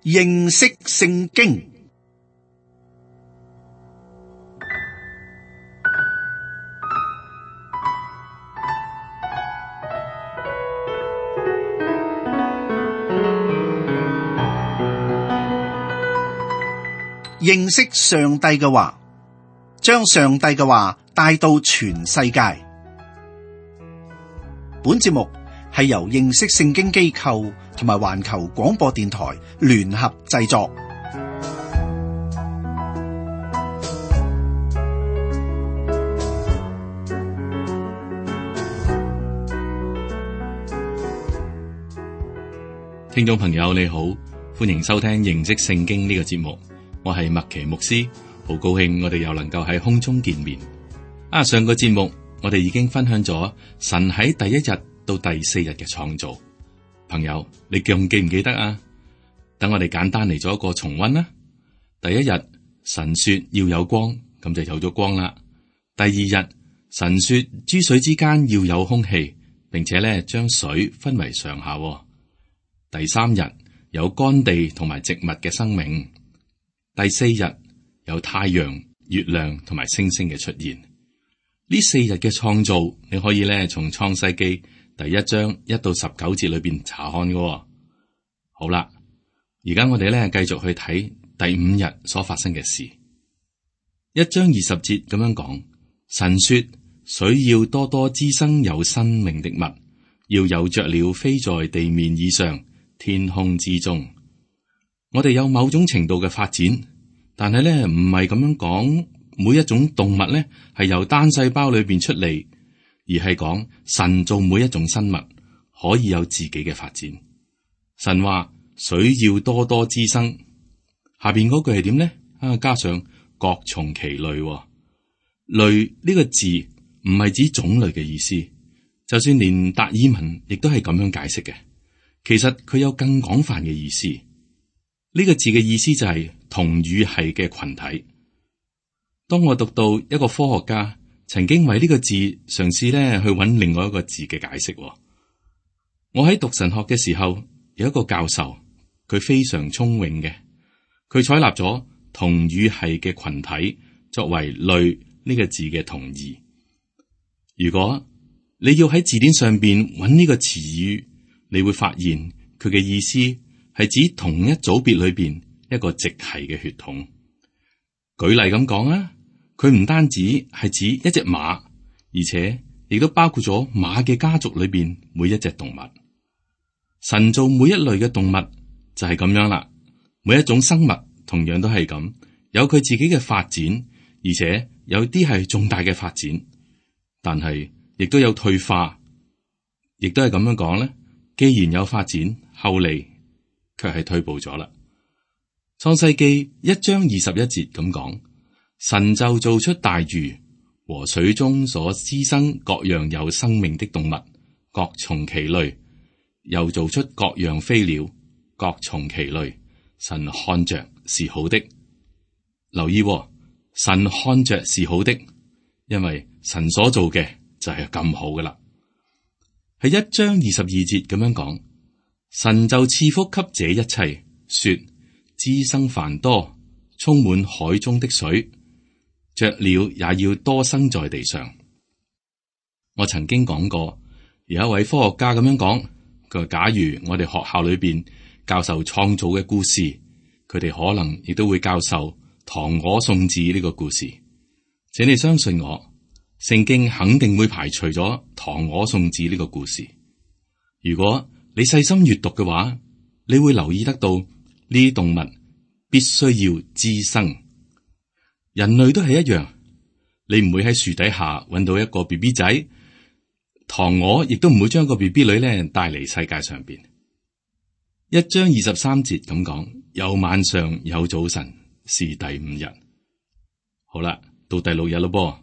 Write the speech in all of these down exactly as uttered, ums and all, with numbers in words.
認識聖經。認識上帝嘅話，將上帝嘅話帶到全世界。本節目係由認識聖經機構同埋環球廣播電台聯合製作。聽眾朋友你好，歡迎收聽認識聖經呢個節目。我係麥奇牧師，好高興我哋又能夠喺空中見面。啊，上個節目我哋已經分享咗神喺第一日到第四日嘅創造。朋友，你仲記唔記得啊？等我哋簡單嚟做一個重溫啦。第一日，神說要有光，咁就有咗光啦。第二日，神說諸水之間要有空氣，並且咧將水分為上下。第三日，有乾地同埋植物嘅生命。第四日，有太陽、月亮同埋星星嘅出現。呢四日嘅創造，你可以咧從創世記第一章一到十九節裏邊查看嘅。好啦，而家我哋咧繼續去睇第五日所發生嘅事。一章二十節咁樣講，神說水要多多滋生有生命的物，要有雀鳥飛在地面以上，天空之中。我哋有某種程度嘅發展，但係咧唔係咁樣講，每一種動物咧係由單細胞裏邊出嚟，而係講神做每一種生物可以有自己嘅發展。神話水要多多滋生，下邊嗰句係點咧？啊，加上各從其類，哦，類呢個字唔係指種類嘅意思，就算連達爾文亦都係咁樣解釋嘅。其實佢有更廣泛嘅意思。呢個字嘅意思就係同語系嘅群體。當我讀到一個科學家曾經為呢個字嘗試咧去揾另外一個字嘅解釋。我喺讀神學嘅時候，有一個教授，佢非常聰穎嘅，佢採納咗同語系嘅群體作為類呢個字嘅同義。如果你要喺字典上邊揾呢個詞語，你會發現佢嘅意思係指同一組別裏邊一個直系嘅血統。舉例咁講啊，佢唔單止係指一隻馬，而且亦都包括咗馬嘅家族裏邊每一隻動物。神造每一類嘅動物就係咁樣啦，每一種生物同樣都係咁，有佢自己嘅發展，而且有啲係重大嘅發展，但係亦都有退化，亦都係咁樣講咧。既然有發展，後嚟卻係退步咗啦。創世記一章二十一節咁講，神就造出大魚和水中所滋生各樣有生命的動物，各從其類，又造出各樣飛鳥，各從其類。神看着是好的。留意喎，神看着是好的，因為神所做嘅就係咁好噶啦。係一章二十二節咁樣講，神就賜福給這一切，說滋生繁多，充滿海中的水，雀鳥也要多生在地上。我曾經講過，有一位科學家咁樣講，佢話假如我哋學校裏邊教授創造嘅故事，佢哋可能亦都會教授唐我宋子呢個故事。請你相信我，聖經肯定會排除咗唐我宋子呢個故事。如果你細心閱讀嘅話，你會留意得到呢啲動物必須要滋生。人類都係一樣，你唔會喺樹底下揾到一個 B B 仔，唐我亦都唔會將個 B B 女咧帶嚟世界上邊。一章二十三節咁講，有晚上有早晨，是第五日。好啦，到第六日咯噃。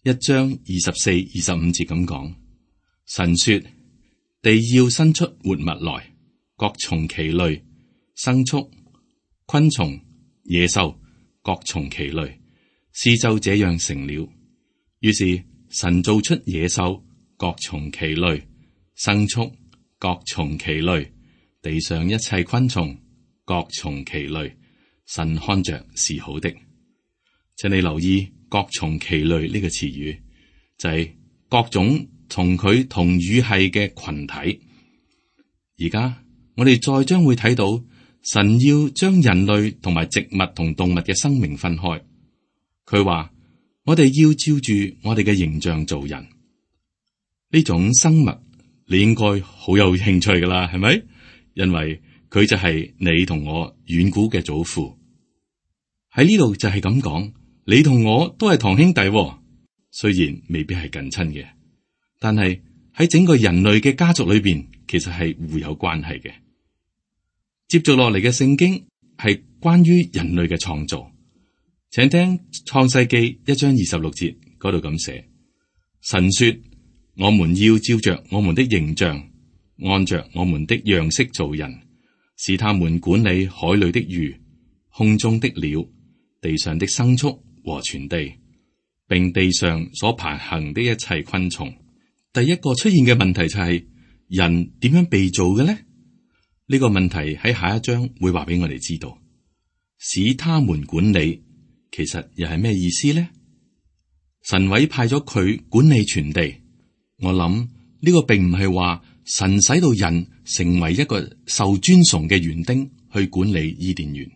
一章二十四、二十五節咁講，神說地要生出活物來，各從其類，牲畜、昆蟲、野獸，各從其類，事就這樣成了。於是神造出野獸，各從其類；牲畜，各從其類；地上一切昆蟲，各從其類，神看着是好的。請你留意各從其類呢個詞語，就係、是、各種同佢同語系嘅群體。而家我哋再將會睇到神要將人類同埋植物同動物嘅生命分開。佢話我哋要照住我哋嘅形象做人。呢種生物你應該好有興趣噶啦，係咪？因為佢就係你同我遠古嘅祖父。喺呢度就係咁講，你同我都係堂兄弟，雖然未必係近親嘅，但係喺整個人類嘅家族裏邊，其實係互有關係嘅。接續落嚟嘅聖經係關於人類嘅創造，請聽創世記一章二十六節嗰度咁寫：神說，我們要照着我們的形象，按着我們的樣式造人，使他們管理海裏的魚、空中的鳥、地上的牲畜和全地，並地上所爬行的一切昆蟲。第一個出現嘅問題就係、是、人點樣被造嘅呢？呢、這個問題喺下一章會話俾我哋知道。使他們管理，其實又係咩意思呢？神委派咗佢管理全地。我諗呢、這個並唔係話神使到人成為一個受尊崇嘅園丁去管理伊甸園。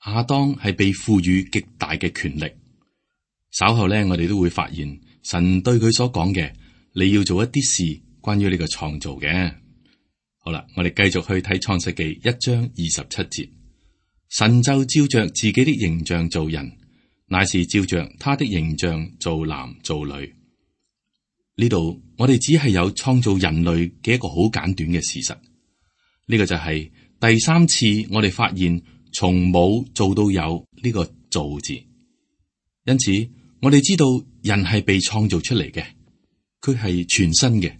亞當係被賦予極大嘅權力。稍後咧，我哋都會發現神對佢所講嘅，你要做一啲事關於呢個創造嘅。好啦，我哋繼續去睇創世記一章二十七節。神就照着自己的形象造人，乃是照着他的形象造男造女。呢度我哋只係有創造人類嘅一個好簡短嘅事實。呢、這個就係第三次我哋發現從冇做到有呢個造字。因此我哋知道人係被創造出嚟嘅，佢係全新嘅。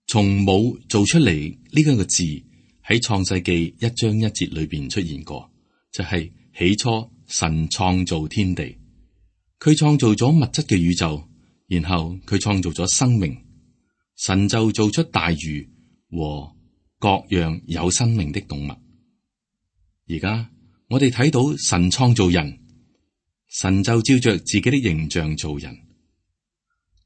從冇做出嚟呢個字喺創世記一章一節裏邊出現過，就係、是、起初神創造天地，佢創造咗物質嘅宇宙，然後佢創造咗生命，神就做出大魚和各樣有生命的動物。而家我哋睇到神創造人，神就照着自己的形象造人。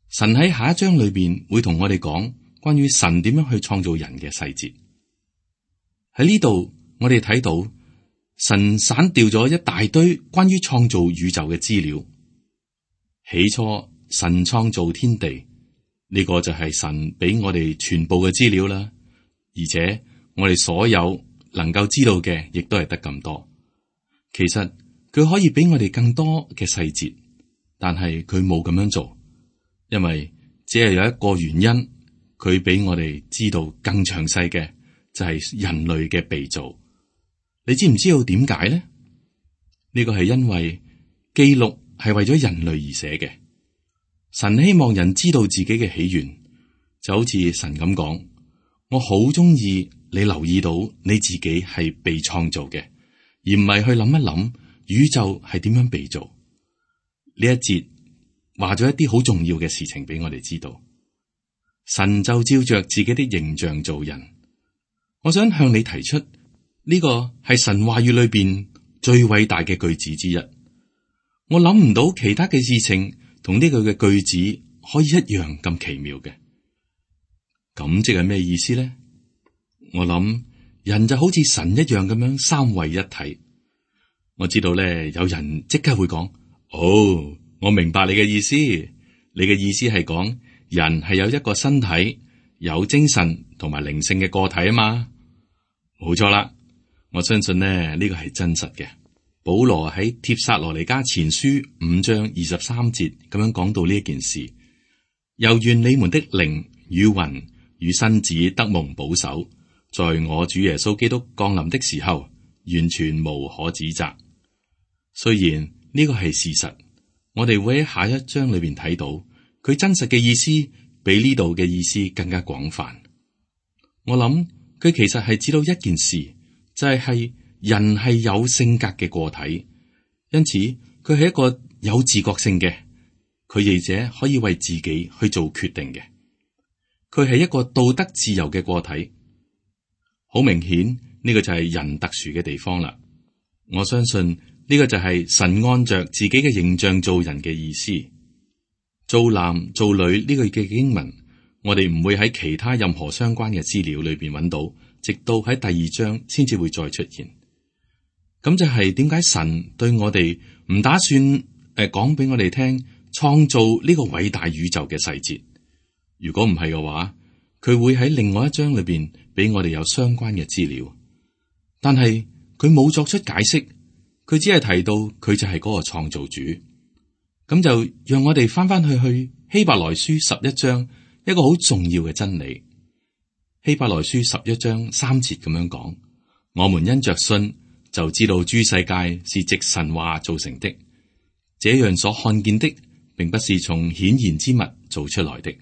神喺下一章裏邊會同我哋講關於神點樣去創造人嘅細節。喺呢度我哋睇到神散掉咗一大堆關於創造宇宙嘅資料。起初神創造天地，呢、這個就係神俾我哋全部嘅資料啦。而且我哋所有能夠知道嘅，亦都係得咁多。其實佢可以俾我哋更多嘅細節，但係佢冇咁樣做，因為只係有一個原因，佢俾我哋知道更詳細嘅就係、是、人類嘅被造。你知唔知道點解呢？呢、這個係因為記錄係為咗人類而寫嘅。神希望人知道自己嘅起源，就好似神咁講：我好中意你留意到你自己係被創造嘅，而唔係去諗一諗宇宙係點樣被造。呢一節話咗一啲好重要嘅事情俾我哋知道。神就照着自己的形象造人。我想向你提出呢、這個係神話語裏邊最偉大嘅句子之一。我諗唔到其他嘅事情同呢句嘅句子可以一樣咁奇妙嘅。咁即係咩意思咧？我諗人就好似神一樣咁樣三位一體。我知道咧，有人即刻會講：哦，我明白你嘅意思。你嘅意思係講人係有一個身體、有精神同埋靈性嘅個體啊嘛。冇錯啦，我相信咧，呢個係真實嘅。保羅喺帖撒羅尼迦前書五章二十三節咁樣講到呢一件事：又願你們的靈與魂與身子得蒙保守，在我主耶穌基督降臨的時候，完全無可指責。雖然呢個係事實，我哋會喺下一章裏邊睇到佢真實嘅意思，比呢度嘅意思更加廣泛。我諗佢其實係指到一件事，就係、係、人係有性格嘅個體，因此佢係一個有自覺性嘅，佢亦者可以為自己去做決定嘅。佢係一個道德自由嘅個體。好明顯，呢個就係人特殊嘅地方啦。我相信呢個就係神按着自己嘅形象造人嘅意思。造男造女呢個嘅經文，我哋唔會喺其他任何相關嘅資料裏邊揾到，直到喺第二章先至會再出現。咁就係點解神對我哋唔打算誒講俾我哋聽創造呢個偉大宇宙嘅細節？如果唔係嘅話，佢會喺另外一章裏邊俾我哋有相關嘅資料。但係佢冇作出解釋，佢只係提到佢就係嗰個創造主。咁就讓我哋翻翻去去希伯來書十一章一個好重要嘅真理。希伯來書十一章三節咁樣講：我們因着信就知道諸世界是藉神話造成的，這樣所看見的並不是從顯然之物造出來的。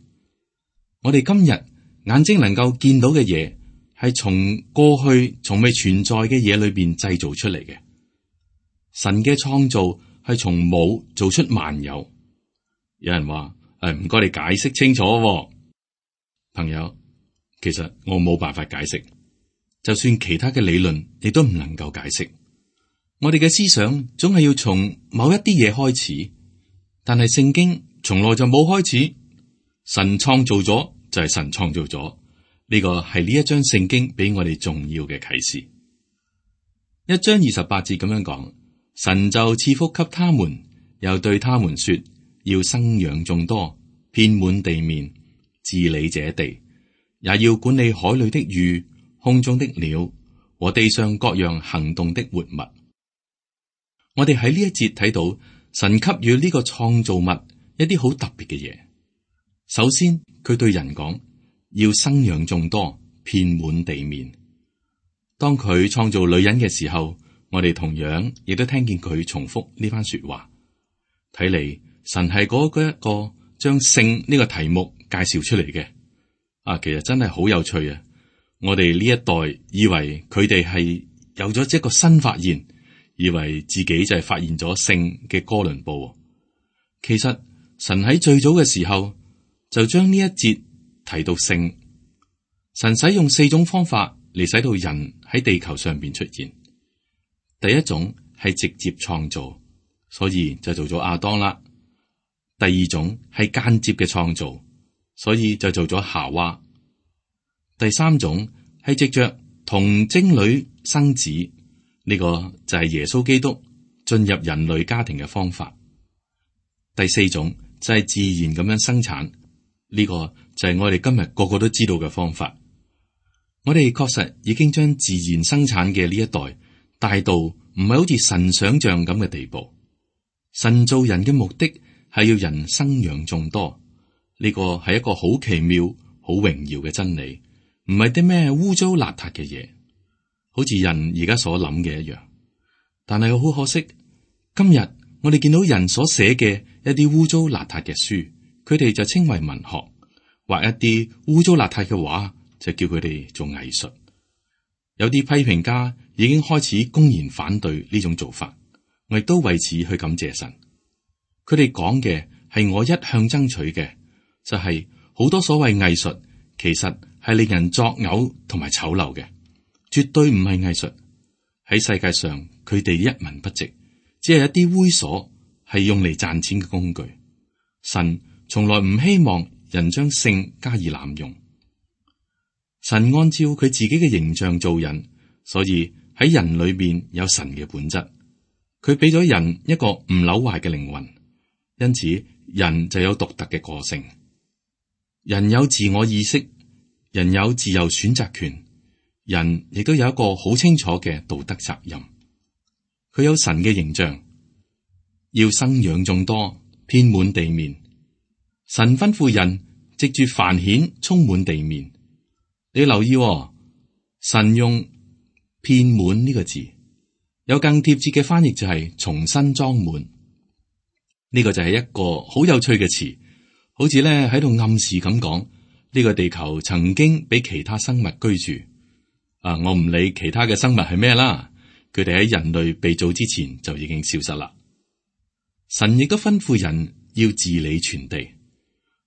我哋今日眼睛能夠見到嘅嘢，係從過去從未存在嘅嘢裏邊製造出嚟嘅。神嘅創造係從冇做出萬有。有人話：誒，唔該你解釋清楚喎。朋友，其實我冇辦法解釋，就算其他嘅理論亦都唔能夠解釋。我哋嘅思想總係要從某一啲嘢開始，但係聖經從來就冇開始。神創造咗就係神創造咗，呢個係呢一章聖經俾我哋重要嘅啟示。一章二十八節咁樣講：神就賜福給他們，又對他們說，要生養眾多，遍滿地面，治理這地，也要管理海裏的魚、空中的鳥和地上各樣行動的活物。我哋喺呢一節睇到神給予呢個創造物一啲好特別嘅嘢。首先，佢對人講，要生養眾多，遍滿地面。當佢創造女人嘅時候，我哋同樣亦都聽見佢重複呢番說話。睇嚟，神係嗰個一個將性呢個題目介紹出嚟嘅。啊，其實真係好有趣啊！我哋呢一代以為佢哋係有咗一個新發現，以為自己就係發現咗性嘅哥倫布。其實神喺最早嘅時候就將呢一節提到性。神使用四種方法嚟使到人喺地球上邊出現。第一種係直接創造，所以就做咗亞當啦。第二種係間接嘅創造，所以就做咗夏娃。第三種係藉着童貞女生子，呢個就係耶穌基督進入人類家庭嘅方法。第四種就係自然咁樣生產。呢個就係我哋今日個個都知道嘅方法。我哋確實已經將自然生產嘅呢一代帶到唔係好似神想象咁嘅地步。神造人嘅目的係要人生養眾多，呢個係一個好奇妙、好榮耀嘅真理，唔係啲咩污糟邋遢嘅嘢，好似人而家所諗嘅一樣。但係好可惜，今日我哋見到人所寫嘅一啲污糟邋遢嘅書，佢哋就稱為文學，畫一啲污糟邋遢嘅畫，就叫佢哋做藝術。有啲批評家已經開始公然反對呢種做法，我亦都為此去感謝神。佢哋講嘅係我一向爭取嘅，就係、是、好多所謂藝術，其實係令人作嘔同埋醜陋嘅，絕對唔係藝術。喺世界上，佢哋一文不值，只係一啲猥瑣，係用嚟賺錢嘅工具。神從來唔希望人將性加以濫用。神按照佢自己嘅形象造人，所以喺人裏邊有神嘅本質。佢俾咗人一個唔朽壞嘅靈魂，因此人就有獨特嘅個性。人有自我意識，人有自由選擇權，人亦都有一個好清楚嘅道德責任。佢有神嘅形象，要生養眾多，遍滿地面。神吩咐人藉住繁衍充滿地面。你留意喎，神用遍滿呢個字，有更貼切嘅翻譯就係重新裝滿。呢個就係一個好有趣嘅詞，好似咧喺度暗示咁講，呢個地球曾經俾其他生物居住。啊，我唔理其他嘅生物係咩啦，佢哋喺人類被造之前就已經消失啦。神亦都吩咐人要治理全地。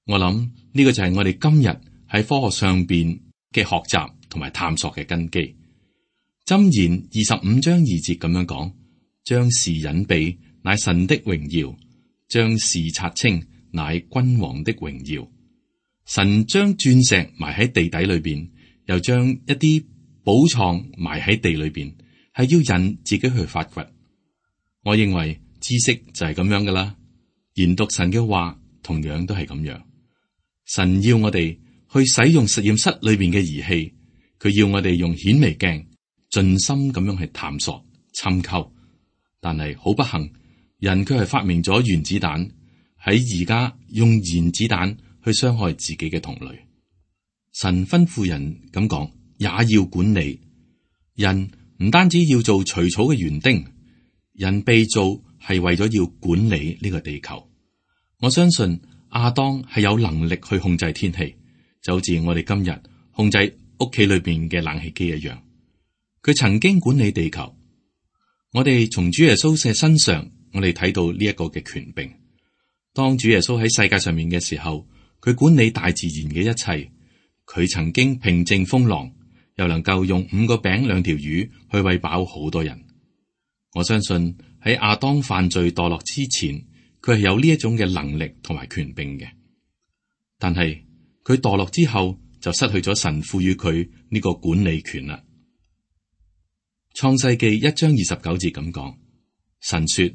我諗呢個就係我哋今日喺科學上邊嘅學習同埋探索嘅根基。箴言二十五章二節咁樣講：將事隱秘，乃神的榮耀；將事察清，乃君王的榮耀。神將鑽石埋喺地底裏邊，又將一啲寶藏埋喺地裏邊，係要人自己去發掘。我認為知識就係咁樣噶啦，研讀神嘅話同樣都係咁樣。神要我哋去使用實驗室裏邊嘅儀器，佢要我哋用顯微鏡盡心咁樣去探索、尋求。但係好不幸，人卻係發明咗原子彈，喺而家用原子彈去傷害自己嘅同類。神吩咐人咁講，也要管理人，唔單止要做除草嘅園丁，人被造係為咗要管理呢個地球。我相信亞當係有能力去控制天氣，就好似我哋今日控制屋企裏邊嘅冷氣機一樣。佢曾經管理地球。我哋從主耶穌嘅身上，我哋睇到呢一個嘅權柄。當主耶穌喺世界上面嘅時候，佢管理大自然嘅一切。佢曾經平靜風浪，又能夠用五個餅兩條魚去餵飽好多人。我相信喺亞當犯罪墮落之前，佢係有呢一種嘅能力同埋權柄嘅。但係佢墮落之後，就失去咗神賦予佢呢個管理權啦。創世記一章二十九節咁講，神說：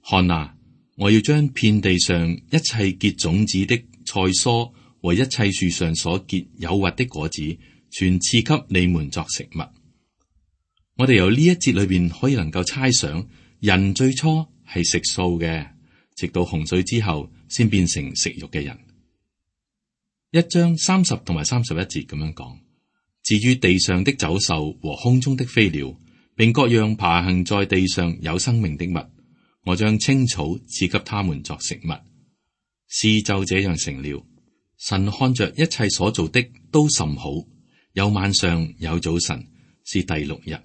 看啊，我要將遍地上一切結種子的菜蔬和一切樹上所結有核的果子，全賜給你們作食物。我哋由呢一節裏邊可以能夠猜想，人最初係食素嘅，直到洪水之後先變成食肉嘅人。一章三十同埋三十一節咁樣講，至於地上的走獸和空中的飛鳥，並各樣爬行在地上有生命的物，我將青草賜給他們作食物。事就這樣成了。神看着一切所做的都甚好，有晚上有早晨，是第六日。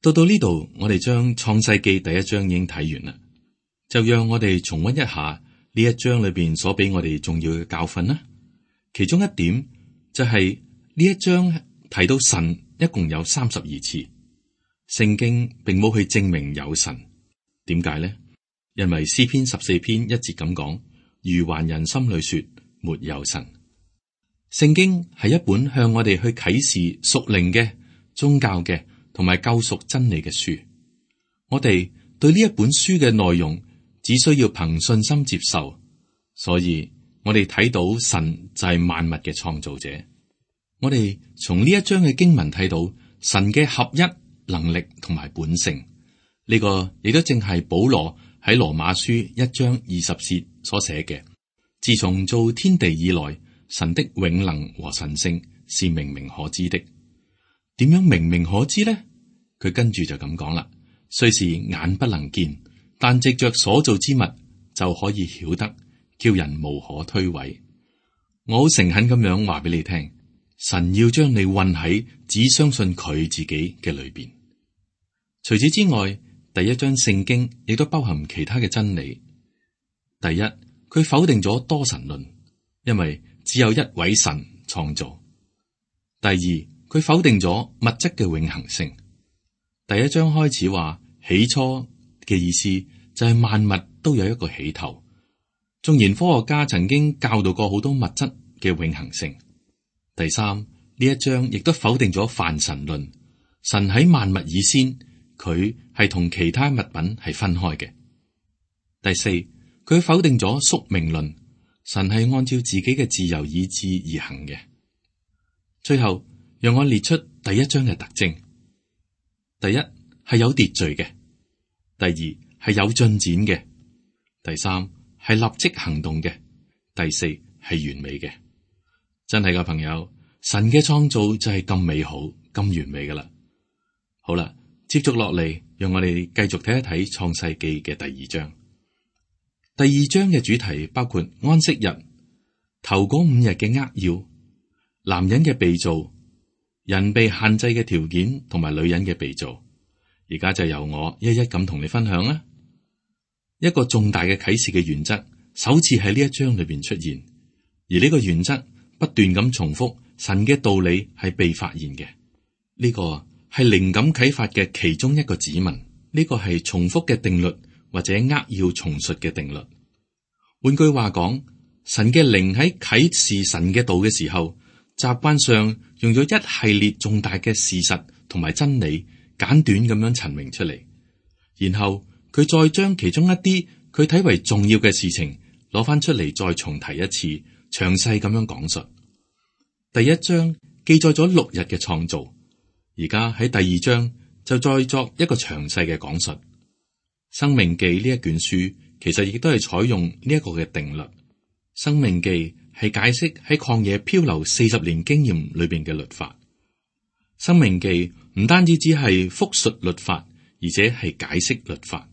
到到呢度，我哋將創世記第一章已經睇完啦，就讓我哋重溫一下呢一章裏邊所俾我哋重要嘅教訓啦。其中一點就係呢一章提到神一共有三十二次。聖經並冇去證明有神，點解呢？因為詩篇十四篇一節咁講，愚頑人心裏說沒有神。聖經係一本向我哋去啟示屬靈嘅、宗教嘅同埋救贖真理嘅書。我哋對呢一本書嘅內容只需要憑信心接受，所以我哋睇到神就係萬物嘅創造者。我哋從呢一章嘅經文睇到神嘅合一能力同埋本性，呢、這個亦都正係保羅喺羅馬書一章二十節所寫嘅。自從造天地以來，神的永能和神性是明明可知的。點樣明明可知呢？佢跟住就咁講啦，雖是眼不能見，但藉着所造之物就可以曉得，叫人無可推諉。我好誠懇咁樣話俾你聽，神要將你混喺只相信佢自己嘅裏邊。除此之外，第一章聖經亦都包含其他嘅真理。第一，佢否定咗多神論，因為只有一位神創造。第二，佢否定咗物質嘅永恆性。第一章開始話起初嘅意思就係萬物都有一個起頭。縱然科學家曾經教導過好多物質嘅永恆性。第三，呢一章亦都否定咗泛神論，神喺萬物以先，佢係同其他物品係分開嘅。第四，佢否定咗宿命論，神係按照自己嘅自由意志而行嘅。最後，讓我列出第一章嘅特徵：第一係有秩序嘅；第二係有進展嘅；第三係立即行動嘅；第四係完美嘅。真係噶朋友，神嘅創造就係咁美好、咁完美噶啦。好啦，接續落嚟，讓我哋繼續睇一睇創世記嘅第二章。第二章嘅主題包括安息日、頭嗰五日嘅扼要、男人嘅被造、人被限制嘅條件同埋女人嘅被造。而家就由我一一咁同你分享啦。一個重大嘅啟示嘅原則，首次喺呢一章裏邊出現，而呢個原則不斷咁重複，神嘅道理係被發現嘅。呢個係靈感啟發嘅其中一個指紋，呢個係重複嘅定律或者扼要重述嘅定律。換句話講，神嘅靈喺啟示神嘅道嘅時候，習慣上用咗一系列重大嘅事實同埋真理，簡短咁樣陳明出嚟，然後佢再將其中一啲佢睇為重要嘅事情攞翻出嚟，再重提一次，詳細咁樣講述。第一章記載咗六日嘅創造，而家喺第二章就再作一個詳細嘅講述。申命記呢一卷書其實亦都係採用呢一個嘅定律。申命記係解釋喺曠野漂流四十年經驗裏邊嘅律法。申命記唔單止只係複述律法，而且係解釋律法。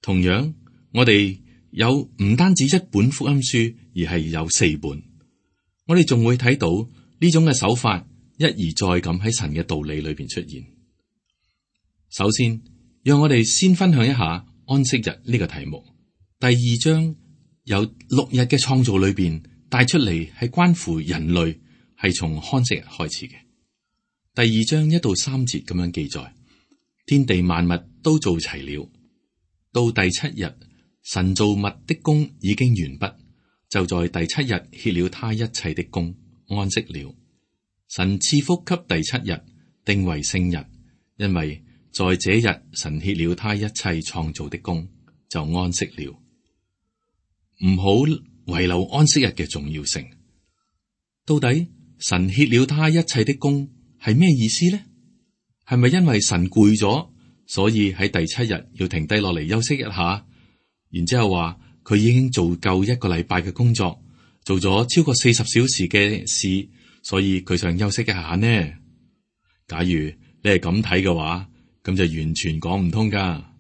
同樣，我哋有唔單止一本福音書，而係有四本。我哋仲會睇到呢種嘅手法一而再咁喺神嘅道理裏邊出現。首先，讓我哋先分享一下安息日呢個題目。第二章由六日嘅創造裏邊帶出嚟，係關乎人類，係從安息日開始嘅。第二章一到三節咁樣記載，天地萬物都做齊了，到第七日，神造物的工已經完畢。就在第七日歇了他一切的工，安息了。神賜福給第七日，定為聖日，因為在這日神歇了他一切創造的工，就安息了。唔好遺留安息日嘅重要性。到底神歇了他一切的工係咩意思呢？係咪因為神攰咗，所以喺第七日要停低落嚟休息一下，然之後話佢已經做夠一個禮拜嘅工作，做咗超過四十小時嘅事，所以佢想休息一下呢？假如你係咁睇嘅話，咁就完全講唔通噶。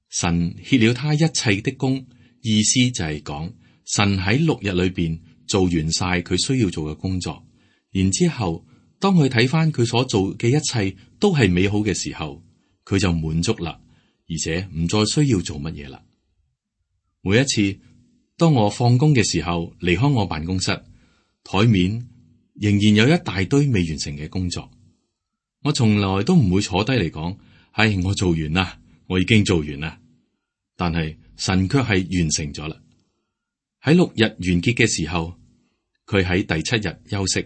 神歇了他一切的工，意思就係講神喺六日裏邊做完晒佢需要做嘅工作，然之後當佢睇翻佢所做嘅一切都係美好嘅時候，佢就滿足啦，而且唔再需要做乜嘢啦。每一次當我放工嘅時候離開我辦公室，台面仍然有一大堆未完成嘅工作，我從來都唔會坐低嚟講，唉，我做完啦，我已經做完啦。但係神卻係完成咗啦。喺六日完結嘅時候，佢喺第七日休息，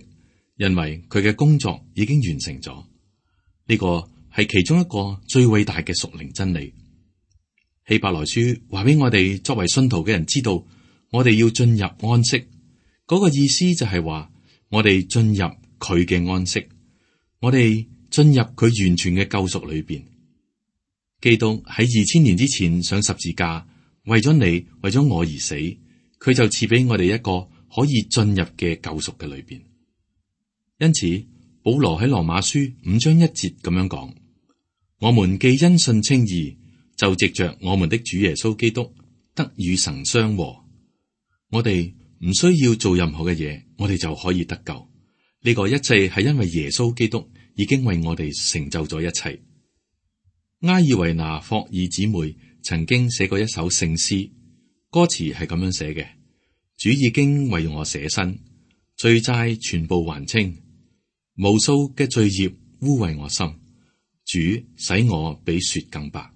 因為佢嘅工作已經完成咗。呢個係其中一個最偉大嘅屬靈真理。希伯來書話俾我哋作為信徒嘅人知道，我哋要進入安息。嗰個意思就係話，我哋進入佢嘅安息，我哋進入佢完全嘅救贖裏邊。基督喺二千年之前上十字架，為咗你，為咗我而死，佢就賜俾我哋一個可以進入嘅救贖嘅裏邊。因此，保羅喺羅馬書五章一節咁樣講：我們既因信稱義，就藉着我們的主耶穌基督得與神相和。我哋唔需要做任何嘅嘢，我哋就可以得救。呢個一切係因為耶穌基督已經為我哋成就咗一切。埃爾維拿霍爾姊妹曾經寫過一首聖詩，歌詞係咁樣寫嘅：主已經為我捨身，罪債全部還清，無數嘅罪孽污穢我心，主使我比雪更白。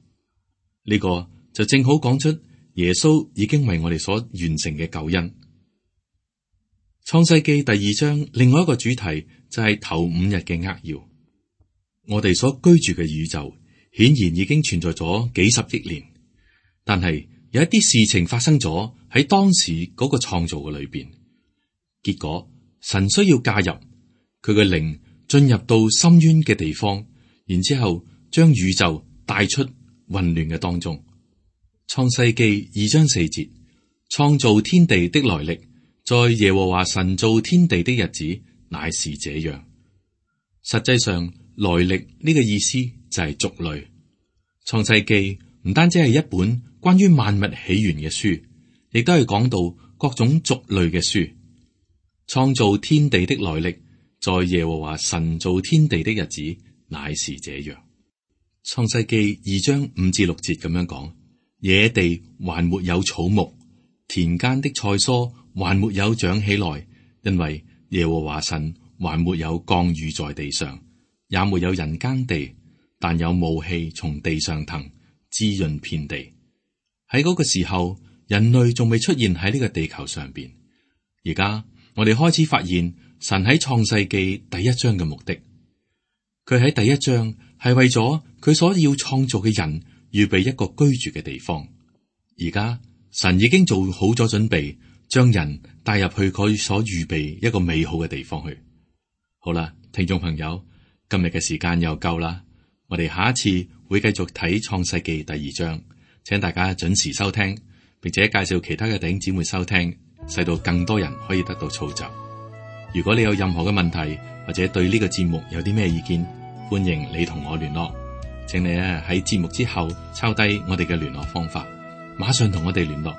呢個就正好講出耶穌已經為我哋所完成嘅救恩。創世記第二章另外一個主題就係頭五日嘅扼要。我哋所居住嘅宇宙顯然已經存在咗幾十億年，但係有一啲事情發生咗喺當時嗰個創造嘅裏邊，結果神需要介入，佢嘅靈進入到深淵嘅地方，然之後將宇宙帶出混亂嘅當中。創世記二章四節，創造天地的來歷，在耶和華神造天地的日子，乃是這樣。實際上，來歷呢個意思就係族類。創世記唔單止係一本關於萬物起源嘅書，亦都係講到各種族類嘅書。創造天地的來歷，在耶和華神造天地的日子，乃是這樣。創世記二章五至六節咁樣講：野地還沒有草木，田間的菜蔬還沒有長起來，因為耶和華神還沒有降雨在地上，也沒有人耕地，但有霧氣從地上騰，滋潤遍地。喺嗰個時候，人類仲未出現喺呢個地球上邊。而家我哋開始發現神喺創世記第一章嘅目的。佢喺第一章係為咗佢所要創造嘅人預備一個居住嘅地方。而家神已經做好咗準備，將人帶入去佢所預備一個美好嘅地方去。好啦，聽眾朋友，今日嘅時間又夠啦，我哋下一次會繼續睇創世記第二章，請大家準時收聽，並且介紹其他嘅弟兄姊妹收聽，使到更多人可以得到造就。如果你有任何嘅問題，或者對呢個節目有啲咩意見，歡迎你同我聯絡。請你咧喺節目之後抄低我哋嘅聯絡方法，馬上同我哋聯絡。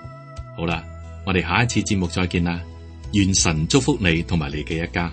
好啦，我哋下一次節目再見啦，願神祝福你同埋你嘅一家。